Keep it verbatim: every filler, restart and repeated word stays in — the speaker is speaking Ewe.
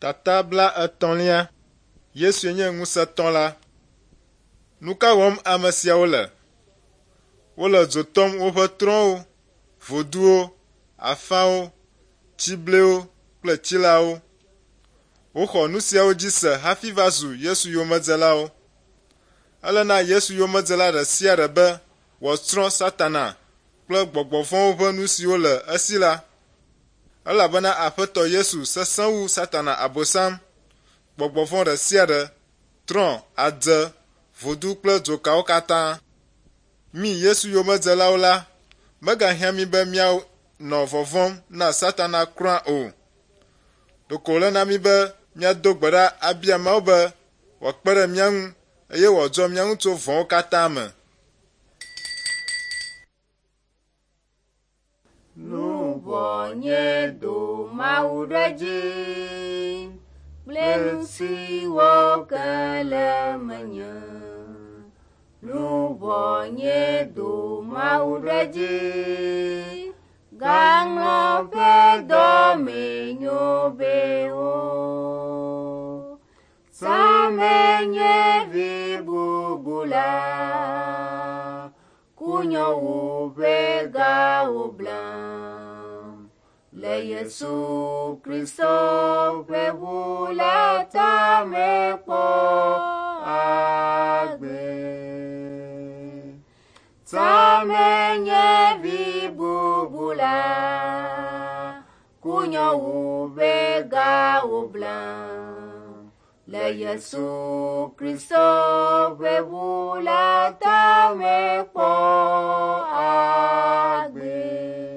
Tata bla etɔ̃lia. Yesue nye ŋusẽtɔ la. Nu ka wɔm ame siawo le? Wole dzo tɔm woƒe trɔ̃wo, voduwo, afawo, tsiblewo kple tsilawo. Woxɔ nu siawo dzi se hafi va zu Yesu yomedzelawo. Ele na Yesu yomedzela ɖe sia ɖe be wòatsrɔ̃ Satana kple gbɔgbɔ vɔ̃wo ƒe nu siwo le esi la. Elabena Aƒetɔ Yesu sesẽ wu Satana Abosam, gbɔgbɔ vɔ̃ ɖe sia ɖe, trɔ̃, adze, vodu kple dzokawo katã. Mí Yesu yomedzelawo la, megahiã mí be míanɔ vɔvɔ̃m na Satana kura o. Ɖeko wòle na mí be míado gbe ɖa abia Mawu be wòakpe ɖe mía ŋu eye wòadzɔ mía ŋu tso vɔ̃wo katã me. Luʋɔ nye do Mawu ɖe dzi kple nu siwo ke le menye. Luʋɔ nye do Mawu ɖe dzi gaŋlɔ ƒe dɔmenyo bewo. Same nye vi bubu la, kunyowu ƒe gawo blam. Le Yesu Kristo ƒe ʋu la ta mekpɔ agbe. Same nye vi bubu la, kunyowu ƒe gawo blam. Le Yesu Kristo ƒe ʋu la ta mekpɔ agbe.